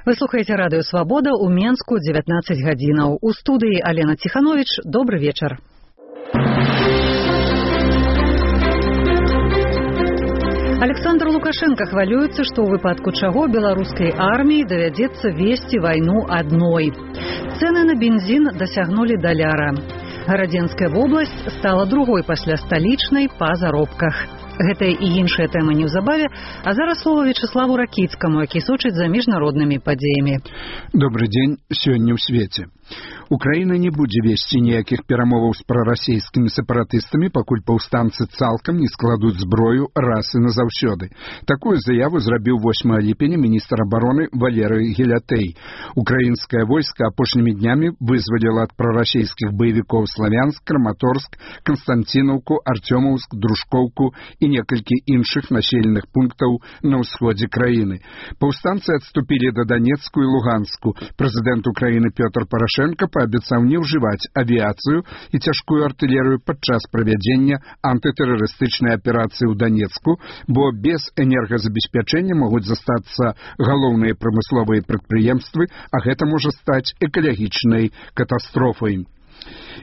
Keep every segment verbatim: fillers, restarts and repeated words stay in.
Вы слухаеце радыё Свабода ў Менску дзевятнаццаць гадзінаў. У студыі Алена Ціхановіч. Добры вечар. Александр Лукашенко хвалюецца, што ў выпадку чаго беларускай арміі давядзецца весці вайну адной. Цэны на бензін дасягнулі даляра. Гарадзенская вобласць стала другой пасля сталічнай па заробках. Гэтая і іншая тэма неўзабаве, а зараз слова Вячеславу Ракіцкаму, які сочыць за міжнароднымі падзеямі. Добры дзень, сёння ў свеце. Украіна не будзе весці ніякіх перамоваў з прарасійскімі сепаратыстамі, пакуль паўстанцы цалкам не складуць зброю раз і назаўсёды. Такую заяву зрабіў восьмага ліпеня міністр абароны Валерый Гелятэй. Украінскае войска апошнімі днямі вызваліла ад прарасійскіх баевікоў Славянск, Краматорск, Канстанцінаўку, Артёмаўск, Дружкоўку і некалькі іншых населеных пунктаў на ўсходзе краіны. Паўстанцы адступілі да Донецку і Луганску. Прэзідэнт Украіны Пётр Парашенко паабяцаў не ўжываць авіяцыю і цяжкую артылерыю падчас правядзення антытэрарыстычнай аперацыі ў Донецку, бо без энергазабеспячэння могуць застацца галоўныя прамысловыя прадпрыемствы, а гэта можа стаць экалагічнай катастрофай.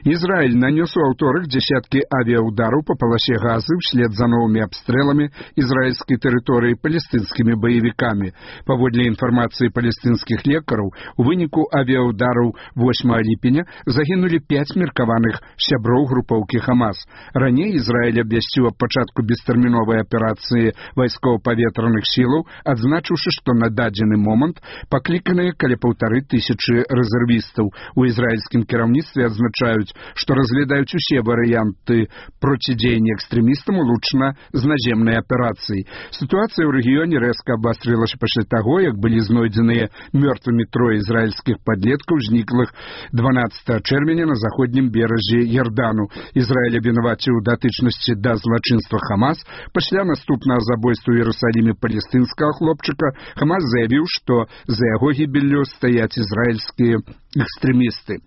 Израиль нанес у аўторак десятки авиаудараў по полосе Газы вслед за новыми обстрелами израильской территории палестинскими боевиками. Паводле информации палестинских лекараў, у выніку авиаудараў восьмага ліпеня загинули пять меркаваных сяброў группоўкі Хамас. Раней Израиль абвясціў аб пачатку бестэрміновай аперацыі вайскова-паветраных сілаў, адзначыўшы, што на дадзены момант пакліканыя каля паўтары тысячы рэзервістаў. У израильскім кіраўніцтве адзначаюць, што разглядаюць усе варыянты процідзеяння экстрэмістам улучшана з наземнай аперацыі. Сітуацыя ў рэгіёне рэзка абвастрылася пасля таго, як былі знойдзеныя мёртвымі трое ізраільскіх падлеткаў, зніклых дванаццатага чэрвеня на заходнім беразе Ярдану. Ізраіль абвінаваціў у датычнасці да злачынства Хамас. Пасля наступнага забойства ў Іерусаліме палестынскага хлопчыка Хамас заявіў, што за яго гібеллю стаяць ізраільскія экстрэмісты.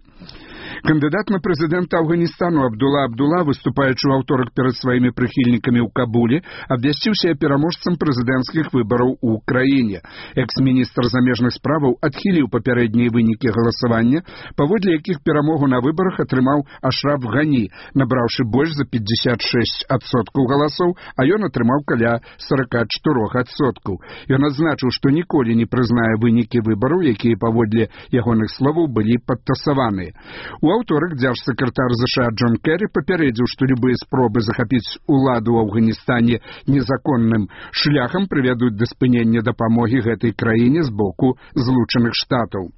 Кандыдат на прэзідэнта Афганістану Абдулла Абдулла, выступаючы ў аўторак перад сваімі прыхільнікамі ў Кабуле, абвясціў сябе пераможцам прэзідэнцкіх выбараў у краіне. Экс-міністр замежных справаў адхіліў папярэднія вынікі галасавання, паводле якіх перамогу на выбарах атрымаў Ашраф Гані, набраўшы больш за пятьдесят шесть адсоткаў галасоў, а ён атрымаў каля сорок четыре адсоткаў. Ён адзначыў, што ніколі не прызнае вынікі выбараў, якія паводле ягоных словаў былі падтасаваныя. У аўторак дзяржсакратар ЗША Джон Керрі папярэдзіў, што любыя спробы захапіць уладу ў Афганістане незаконным шляхам прывядуць да спынення дапамогі гэтай краіне з боку Злучаных Штатаў.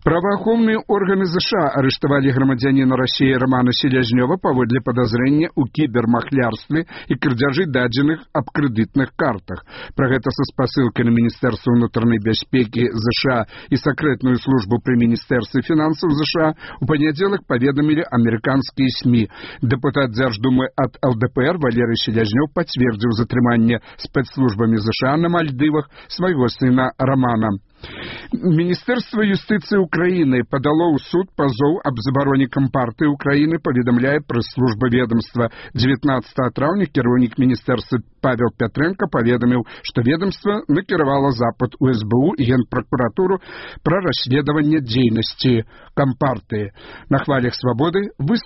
Праваахоўныя органы ЗША арыштавалі грамадзяніна Расіі Романа Селязнёва паводле падазрэння ў кібермахлярстве і крадзяжы дадзеных аб крэдытных картах. Пра гэта са спасылкай на Міністэрства ўнутранай бяспекі ЗША і сакрэтную службу пры Міністэрстве фінансаў ЗША у панядзелак паведамілі амерыканскія СМІ. Дэпутат Дзярждумы ад ЛДПР Валерый Селязнёў пацвердзіў затрыманне спецслужбамі ЗША на Мальдывах свайго сына Романа. Міністэрства юстыцыі Украіны падало ў суд пазоў аб забароне Кампартыі Украіны, паведамляе прэс-служба ведомства. дзевятнаццатага траўня кіраўнік міністэрства Павел Пятрэнка паведаміў, што ведомства накіравала запыт у СБУ і Генпракуратуру пра расследаванне дзейнасці Кампартыі. На хвалях Свабоды вы